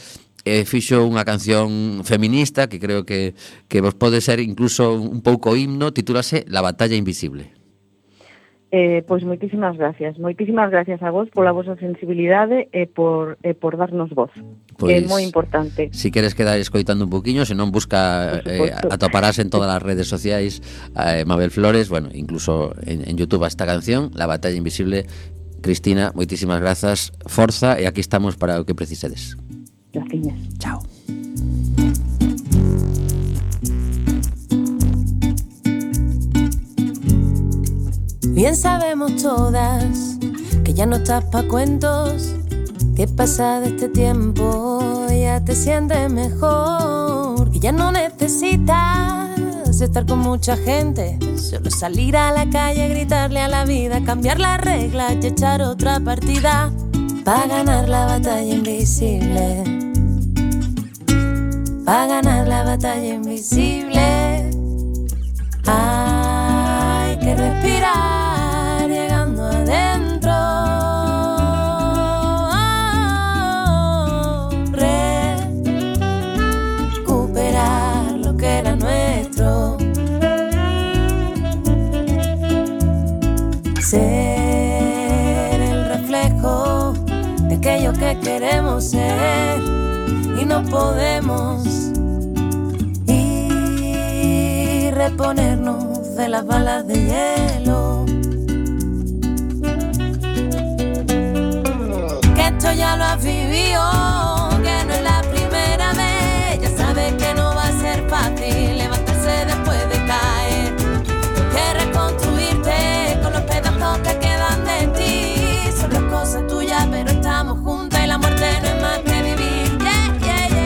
e fixo unha canción feminista que creo que, que vos pode ser incluso un pouco himno, titúlase La batalla invisible. Eh, pois moitísimas gracias, moitísimas gracias a vos pola vosa sensibilidade e por, e por darnos voz, Pois, que é moi importante. Si queres quedar escoitando un poquinho, se non busca eh, atoparás en todas as redes sociais eh, Mabel Flores, bueno, incluso en, en YouTube a esta canción, La batalla invisible. Cristina, moitísimas grazas, forza, e aquí estamos para o que precisedes. Gracias. Chao. Bien sabemos todas que ya no estás pa' cuentos, que pasa de este tiempo ya te sientes mejor, que ya no necesitas estar con mucha gente, solo salir a la calle, gritarle a la vida, cambiar las reglas y echar otra partida pa' ganar la batalla invisible, pa' ganar la batalla invisible. Hay que respirar llegando adentro, recuperar lo que era nuestro, ser el reflejo de aquello que queremos ser y no podemos, y reponernos de las balas de hielo, que esto ya lo has vivido, que no es la primera vez, ya sabes que no va a ser fácil levantarse después de caer, que reconstruirte con los pedazos que quedan de ti, son las cosas tuyas pero estamos juntas y la muerte no es más que vivir. Yeah, yeah, yeah.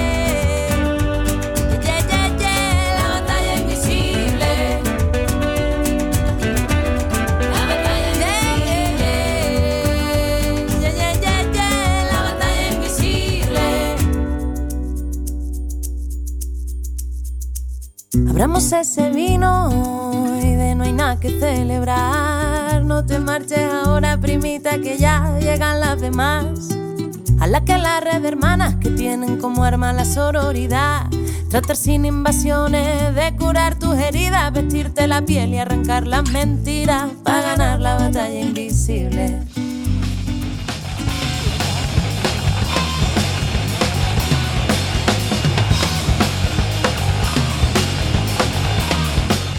Yeah, yeah, yeah. La batalla invisible. La batalla invisible. Yeah, yeah, yeah, yeah. La batalla invisible. Abramos ese vino y de no hay nada que celebrar. No te marches ahora, primita, que ya llegan las demás. A la que la red de hermanas que tienen como arma la sororidad. Tratar sin invasiones de curar tus heridas, vestirte la piel y arrancar las mentiras para ganar la batalla invisible.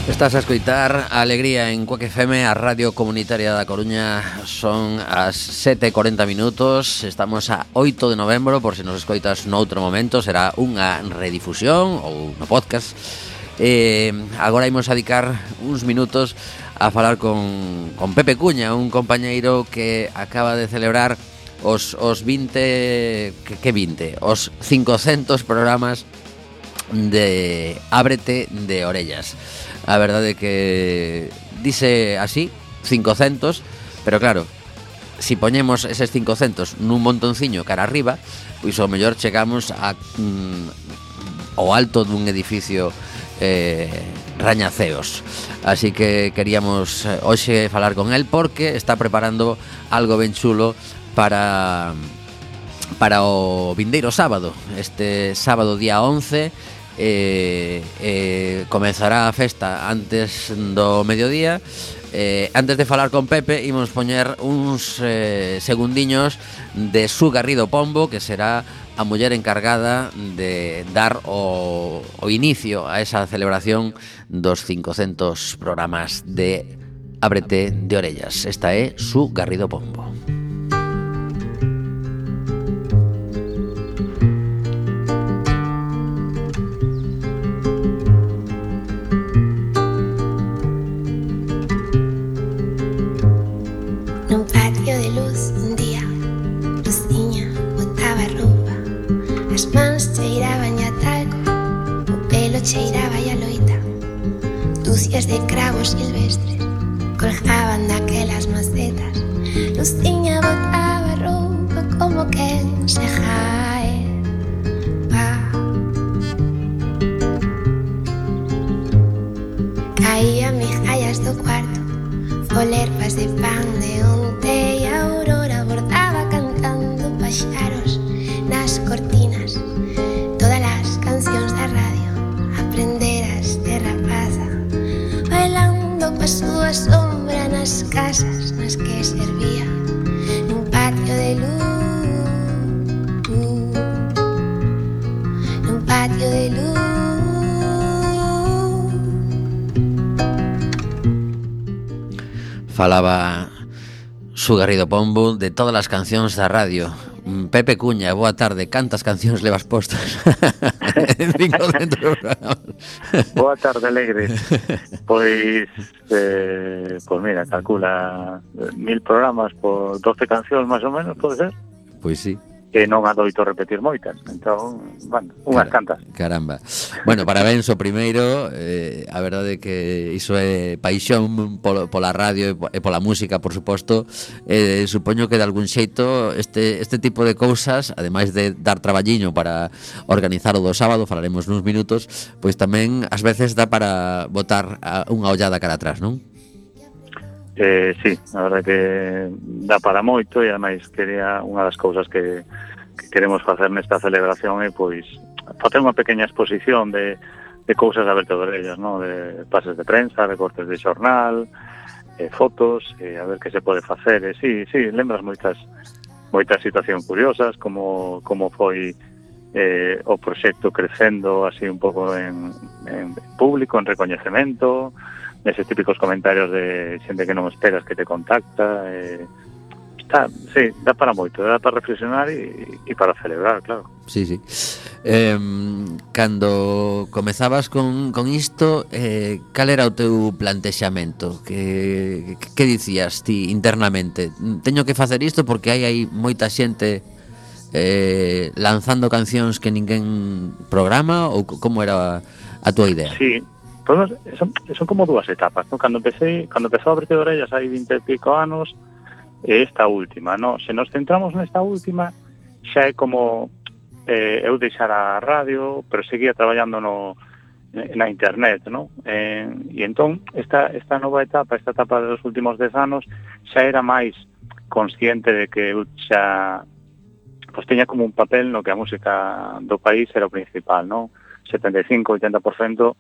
Estás a escoitar a Alegría en Cuac F M, a Radio Comunitaria da Coruña. Son as sete e cuarenta minutos. Estamos a oito de novembro. Por se nos escoitas noutro momento, será unha redifusión ou no podcast. eh, Agora imos a dedicar uns minutos a falar con, con Pepe Cuña, un compañeiro que acaba de celebrar os, os vinte... Que, que vinte? Os cincocentos programas de Ábrete de Orellas. A verdade que dice así, cincocentos, pero claro, si poñemos eses cincocentos nun montonciño cara arriba, pois ao mellor chegamos a mm, ao alto dun edificio eh, rañaceos. Así que queríamos hoxe falar con el porque está preparando algo ben chulo para para o vindeiro sábado. Este sábado día once Eh, eh, comezará a festa antes do mediodía. eh, Antes de falar con Pepe, imos poñer uns eh, segundiños de Su Garrido Pombo, que será a muller encargada de dar o, o inicio a esa celebración dos cincocentos programas de Ábrete de Orellas. Esta é Su Garrido Pombo. Nun patio de luz un día, Luciña botaba roupa. As mans cheiraban a talco, o pelo cheiraba a loita. Dúcias de cravos silvestres colgaban daquelas macetas. Luciña botaba roupa como quen se jae. Pa. Caía migallas do cuarto, folerpas de pan de onte, e a aurora bordaba cantando paxaros nas cortinas. Todas as cancións da radio aprenderas de rapaza, bailando coa súa sombra nas casas nas que servía, nun patio de luz, nun patio de luz. Falaba Su Garrido Pombo de todas as cancións da radio. Pepe Cuña, boa tarde. Cantas cancións levas postas? Boa tarde, alegre. Pois, eh, pois mira, calcula mil programas por doce cancións máis ou menos, pode ser? Pois sí. Que non adoito repetir moitas. Entón, bueno, unhas Car- cantas. Caramba. Bueno, parabéns o primeiro. eh, A verdade é que iso é paixón polo, pola radio e po- e pola música, por suposto. eh, Supoño que de algún xeito este, este tipo de cousas, ademais de dar traballiño para organizar o do sábado, falaremos nuns minutos, pois tamén ás veces dá para botar a, unha ollada cara atrás, non? Eh, sí, a verdade que dá para moito, e ademais quería unha das cousas que, que queremos facer nesta celebración é pois facer unha pequena exposición de, de cousas de Ábrete de Orellas, ¿no? De pases de prensa, recortes de xornal, eh, fotos, eh, a ver que se pode facer. E sí, sí, lembras moitas moitas situacións curiosas, como como foi eh, o proxecto crecendo así un pouco en, en público, en recoñecemento, eses típicos comentarios de xente que non esperas que te contacta. eh, está, sí, dá para moito, dá para reflexionar e, e para celebrar, claro. Sí, sí. Eh, cando comezabas con, con isto, eh, cal era o teu plantexamento? Que, que, que dicías ti internamente? Teño que facer isto porque hai hai moita xente eh, lanzando cancións que ninguén programa, ou como era a tua idea? Sí, pues, son, son como dúas etapas, ¿no? Cando empecé, cando empezou a Ábrete de Orellas hai vinte e pico anos, e esta última, ¿no? Se nos centramos nesta última, xa é como eh, eu deixar a radio, pero seguía traballando no, na internet, ¿no? Eh, e entón, esta, esta nova etapa, esta etapa dos últimos dez anos, xa era máis consciente de que eu xa pues, teña como un papel no que a música do país era o principal, ¿no? setenta e cinco a oitenta por cento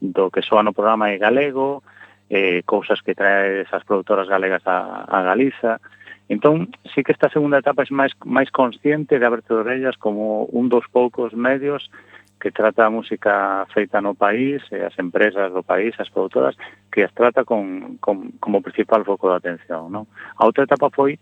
do que soa no programa é galego, eh, cousas que trae esas produtoras galegas a, a Galiza. Entón, sí que esta segunda etapa é máis, máis consciente de Aberto de Orellas como un dos poucos medios que trata a música feita no país, e as empresas do país, as produtoras, que as trata con, con, como principal foco de atención, ¿no? A outra etapa foi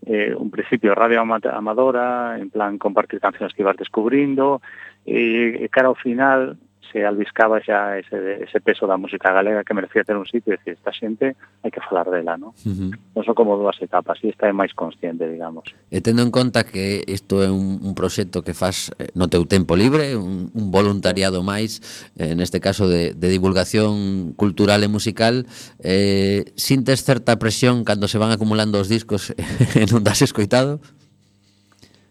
eh, un principio radio amadora, en plan compartir cancións que ibas descubrindo, e, e cara ao final se albiscaba xa ese, ese peso da música galega que merecía ter un sitio e decir, esta xente hai que falar dela, ¿no? Uh-huh. Non son como dúas etapas, e esta é máis consciente, digamos. E tendo en conta que isto é un, un proxecto que faz no teu tempo libre, un, un voluntariado máis, eh, neste caso de, de divulgación cultural e musical, eh, sintes certa presión cando se van acumulando os discos e non das escoitado?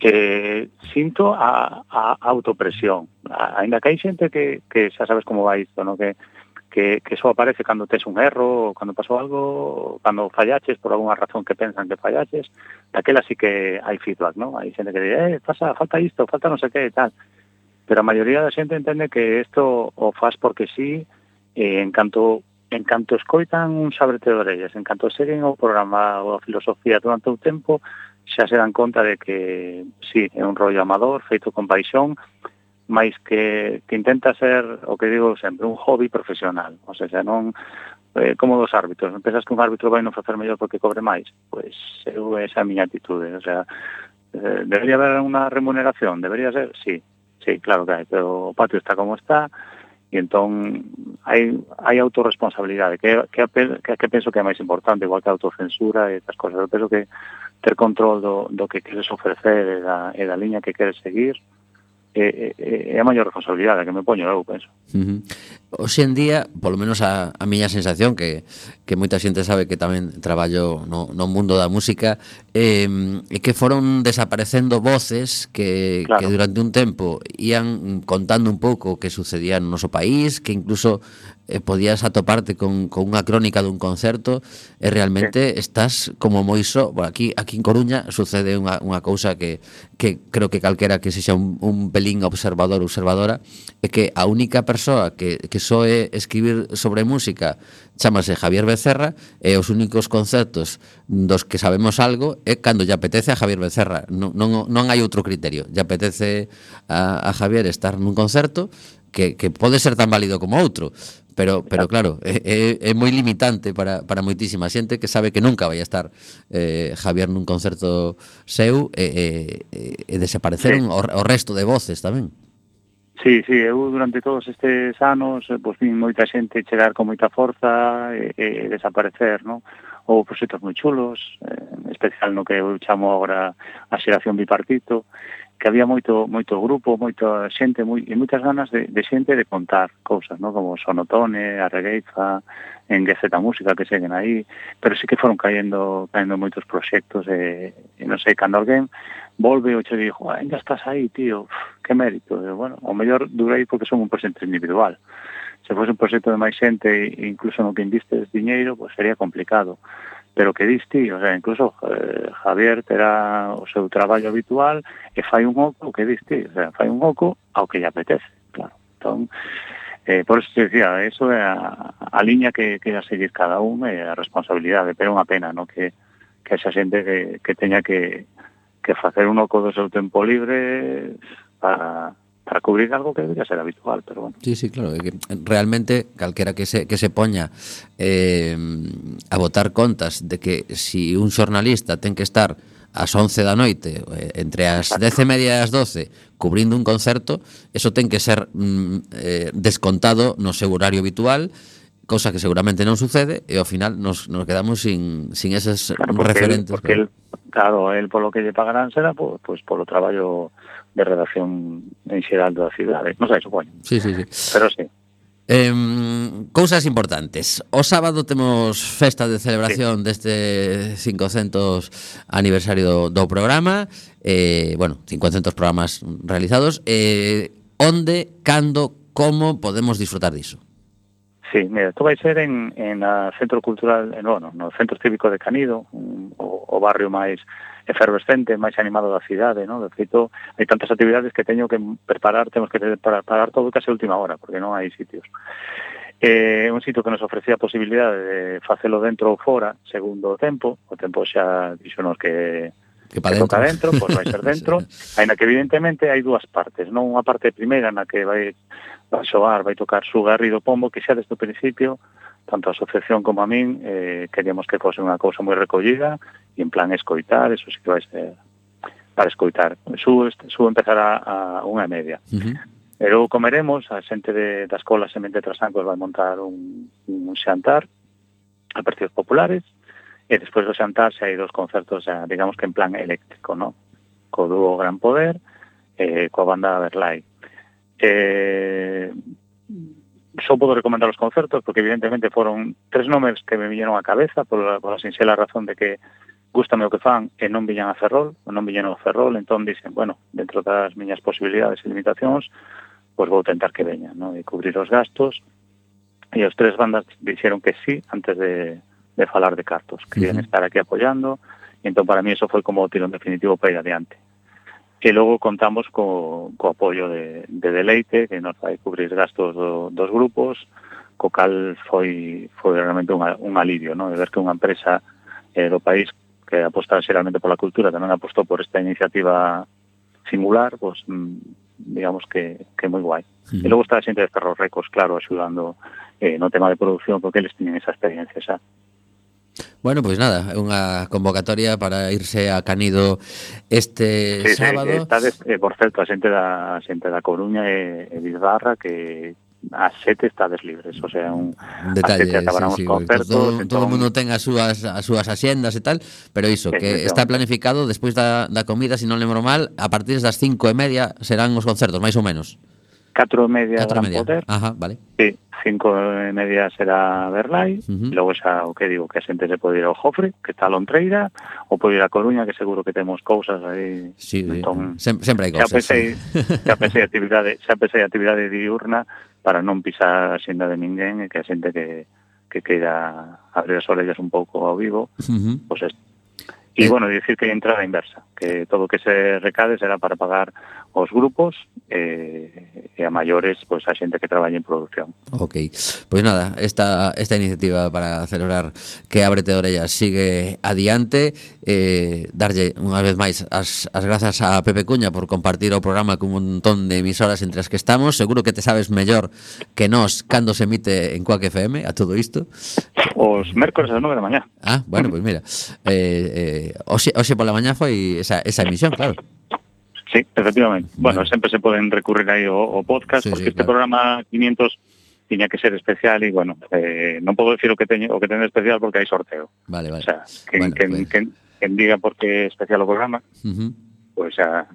Que sinto a, a autopresión. A, ainda que hai xente que, que xa sabes como vai isto, ¿no? Que, que, que só aparece cando tes un erro, ou cando pasou algo, ou cando fallaches por alguna razón que pensan que fallaches, daquela sí que hai feedback, ¿no? Hai xente que di, eh, pasa, falta isto, falta non sei que e tal. Pero a maioría da xente entende que isto o faz porque sí, e en canto, en canto escoitan un Aberto de Orellas, en canto seguen o programa ou a filosofía durante o tempo, xa se dan conta de que, sí, é un rollo amador, feito con paixón, máis que, que intenta ser, o que digo sempre, un hobby profesional. O sea, xa non, eh, como dos árbitros, non pensas que un árbitro vai non facer mellor porque cobre máis? Pois eu, esa é a miña atitude. O sea, eh, debería haber unha remuneración, debería ser, sí, sí, claro que hai, pero o patio está como está, e entón hai, hai autorresponsabilidade, que, que, que, que penso que é máis importante, igual que a autocensura e estas cosas. Eu penso que ter control do, do que queres ofrecer e da, e da liña que queres seguir é, é, é a maior responsabilidade que me poño eu, penso. Uh-huh. Hoxe en día, polo menos a, a miña sensación, que, que moita xente sabe que tamén traballo no, no mundo da música, é eh, que foron desaparecendo voces que, claro. que durante un tempo ían contando un pouco o que sucedía no noso país, que incluso eh, podías atoparte con, con unha crónica dun concerto, e realmente sí. estás como moi só. Bueno, aquí, aquí en Coruña sucede unha, unha cousa que, que creo que calquera que sexa un, un pelín observador ou observadora, é que a única persoa que, que soe escribir sobre música chámase Javier Becerra, e os únicos concertos dos que sabemos algo é cando lle apetece a Javier Becerra. Non, non, non hai outro criterio. Lle apetece a, a Javier estar nun concerto que, que pode ser tan válido como outro, pero, pero claro, é, é moi limitante para, para moitísima xente que sabe que nunca vai a estar eh, Javier nun concerto seu, e, e, e desapareceron sí. o, o resto de voces tamén. Sí, sí, eu durante todos estes anos pois, vin moita xente chegar con moita forza e, e desaparecer, non? Ou proxectos moi chulos, en especial no que eu chamo agora a xeración bipartito, que había moito moito grupo, moita xente moi, e moitas ganas de, de xente de contar cousas, non? Como Sonotone, a Regueifa, en G Z Música, que seguen aí, pero sí que foron caendo caendo moitos proxectos, e, e non sei, cando alguén volve o che dixo, ainda estás aí, tío, uf, que mérito. E, bueno, o mellor durei porque son un proxecto individual. Se fose un proxecto de máis xente, e incluso no que investes diñeiro, pues sería complicado. Pero que diste, o sea, incluso eh, Javier terá o seu traballo habitual e fai un oco o que diste, o sea, fai un oco ao que lle apetece, claro. Entón, eh, por eso te decía, eso é a, a liña que, que a seguir cada un, e a responsabilidade, pero é unha pena, ¿no? Que, que esa xente que, que teña que, que facer un oco do seu tempo libre para... para cubrir algo que debería ser habitual, pero bueno. Sí, sí, claro, que realmente calquera que se, que se poña eh, a botar contas de que si un xornalista ten que estar ás once da noite, eh, entre as dez e media e as doce, cubrindo un concerto, eso ten que ser mm, eh, descontado no seu horario habitual, cosa que seguramente non sucede, e ao final nos, nos quedamos sin, sin eses claro, porque referentes. El, porque el, claro, el polo que lle pagarán será pues, pues polo traballo de redacción en xeral da cidade, non sei, supoño. Sí, sí, sí. Pero sí. Eh, cousas importantes. O sábado temos festa de celebración sí. deste cincocentos aniversario do, do programa, eh, bueno, cincocentos programas realizados. Eh, onde, cando, como podemos disfrutar diso? Sí, mira, isto vai ser en, en a Centro Cultural, en, bueno, no Centro Cívico de Canido, un, o, o barrio máis efervescente, máis animado da cidade, ¿no? De feito, hai tantas actividades que teño que preparar, temos que preparar todo case a última hora, porque non hai sitios. É eh, un sitio que nos ofrecía a posibilidade de facelo dentro ou fora, segundo o tempo, o tempo xa dixonos que que, que toca dentro, pois vai ser dentro, aínda que evidentemente hai dúas partes, non unha parte primeira na que vai vai xogar, vai tocar Su Garrido Pombo, que xa desde o principio, tanto a asociación como a min, eh, queríamos que fose unha cousa moi recollida, e en plan escoitar, eso sí que vai ser para escoitar. Su, su empezará a unha e media. Uh-huh. E logo comeremos, a xente de, da escola Semente Trasancos vai montar un, un xantar a partidos populares, e despois do xantar xa hai dos concertos, xa, digamos que en plan eléctrico, ¿no? Co dúo Gran Poder, eh, coa banda Verlai. Eh, só podo recomendar os concertos porque evidentemente foron tres nomes que me viñeron á cabeza por a, por a sinxela razón de que gústame o que fan e non viñan a Ferrol, non viñeron a Ferrol, entón dicen, bueno, dentro das miñas posibilidades e limitacións, pois vou tentar que veñan, ¿no? E cubrir os gastos, e os tres bandas dixeron que sí antes de, de falar de cartos, querían uh-huh. estar aquí apoiando, e entón para mí eso foi como o tirón definitivo para ir adiante. E logo contamos co, co apoio de, de Deleite, que nos vai cubrir gastos do, dos grupos, co cal foi, foi realmente un, un alivio, ¿no? De ver que unha empresa eh, do país que aposta xeralmente pola cultura tamén apostou por esta iniciativa singular, pues, digamos que, que moi guai. Sí. E logo está a xente de Ferro Records, claro, axudando eh, no tema de producción, porque eles tiñen esa experiencia xa. Bueno, pois pues nada, unha convocatoria para irse a Canido este sí, sábado. Sí, está de, eh, por certo, a xente da a xente da Coruña e, e Bizarra que a sete estades libres, o sea, un detalle, a sete acabarán sí, sí, os concertos. Todo, entón... todo o mundo ten as súas as súas axendas e tal, pero iso, que está planificado despois da, da comida, se non lembro mal, a partir das cinco e media serán os concertos, máis ou menos. Catro e media Gran media. Poder. Ajá, vale. Sí, cinco e media será Verlai, uh-huh. e logo xa o que digo, que a xente se pode ir ao Jofre, que está a Lontreira, ou pode ir a Coruña, que seguro que temos cousas aí. Sí, entón, Sem, sempre hai cousas. Xa pensei, sí. xa pensei actividade, xa pensei actividade diurna para non pisar a xenda de ninguén e que a xente que, que queira abrir as orellas un pouco ao vivo, uh-huh. pois pues e, bueno, dicir que hai entrada inversa, que todo o que se recade será para pagar os grupos e, e a maiores, pois pues, a xente que traballa en producción. Ok, pois pues nada, esta, esta iniciativa para celebrar que Ábrete de Orellas sigue adiante, eh, darlle unha vez máis as, as grazas a Pepe Cuña por compartir o programa con un montón de emisoras entre as que estamos. Seguro que te sabes mellor que nós cando se emite en Quack F M a todo isto. Os mércores ás nove da mañá. Ah, bueno, pois pues mira, eh, eh, hoxe, hoxe pola mañá foi esa, esa emisión, claro. Sí, efectivamente. Bueno, bueno, sempre se poden recurrir aí ao, ao podcast, sí, porque sí, este claro. Programa quinientos tiña que ser especial e, bueno, eh, non podo decir o que teño o que ten especial porque hai sorteo. Vale, vale. O sea, que, bueno, que, pues... que, que diga por que é especial o programa, uh-huh. pois pues, xa...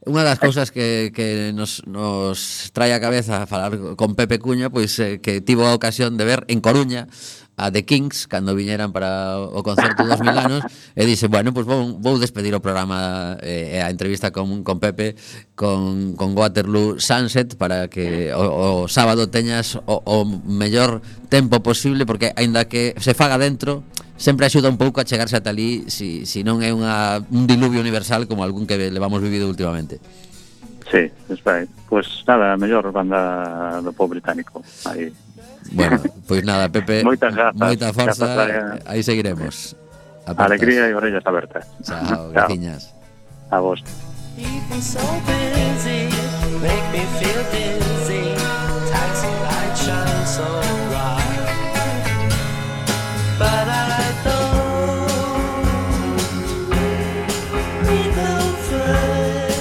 Unha das cousas que, que nos, nos trae a cabeza a falar con Pepe Cuña, pois pues, eh, que tivo a ocasión de ver en Coruña a The Kings cando viñeran para o concerto dos mil anos e dixe, bueno, pois pues vou, vou despedir o programa e eh, a entrevista con, con Pepe con, con Waterloo Sunset para que o, o sábado teñas o, o mellor tempo posible, porque aínda que se faga dentro sempre axuda un pouco a chegarse ata ali si, si non é unha, un diluvio universal como algún que levamos vivido últimamente. Sí, espera, pues nada, a mellor banda do pop británico aí. Bueno, pois pues nada, Pepe, moitas grazas, moita forza, grazas, aí seguiremos. Apertas. Alegría e orellas abertas. Chao, graciñas. A vos. People so busy, make me feel dizzy. Taxi light shine so bright, but I don't need no friend.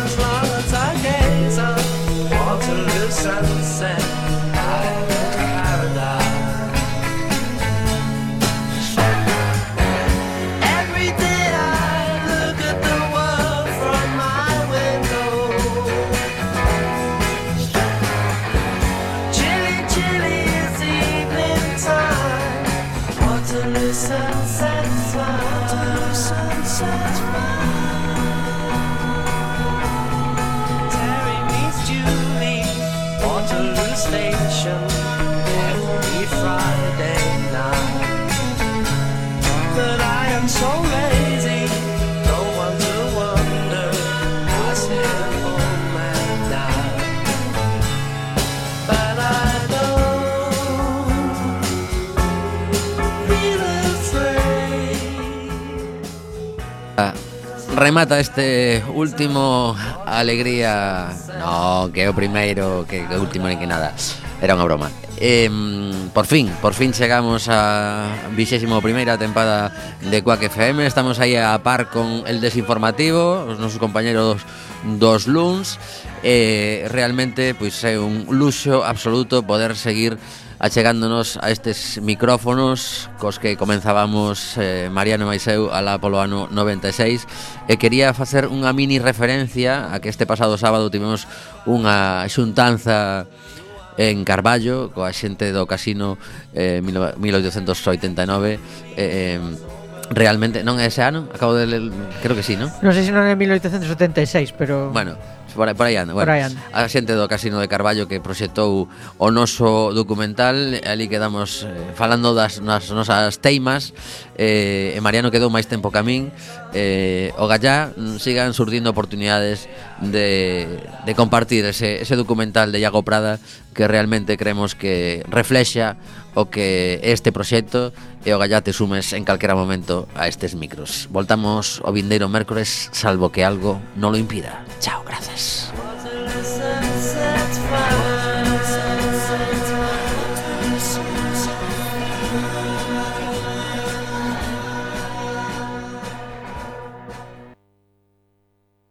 As long as I gaze on Waterloo sunset, I'm in paradise. Every day I look at the world from my window. Chilly, chilly is evening time. Waterloo sunset's fine. Waterloo sunset's fine. Terry station every Friday night. But I am so lazy, don't want to wonder. I sit home at night, but I don't feel afraid. Ah, remata este último Alegría. No, que é o primeiro, que, que o último ni que nada. Era unha broma. Eh, por fin, por fin chegamos a vixésimo primeira tempada de Quack F M. Estamos aí a par con el desinformativo, os nosos compañeros dos luns. Eh, realmente, pois é un luxo absoluto poder seguir achegándonos a estes micrófonos cos que comenzábamos eh, Mariano e eu alá polo ano noventa e seis, e quería facer unha mini referencia a que este pasado sábado tivemos unha xuntanza en Carballo coa xente do Casino eh, mil oitocentos oitenta e nove. eh, realmente non é ese ano, acabo de ler, creo que sí, non? Non sei se non é mil oitocentos setenta e seis, pero bueno, Por aí, por aí anda, bueno, por aí anda. A xente do Casino de Carballo que proxectou o noso documental. Ali quedamos eh, falando das nas nosas teimas, eh, e Mariano quedou máis tempo que a min. eh, O gallá sigan surdindo oportunidades de, de compartir ese, ese documental de Iago Prada, que realmente creemos que reflexa o que este proxecto, e o gallá te sumes en calquera momento a estes micros. Voltamos o vindeiro mércores, salvo que algo non lo impida. Chao, gracias. Was a sunset fire.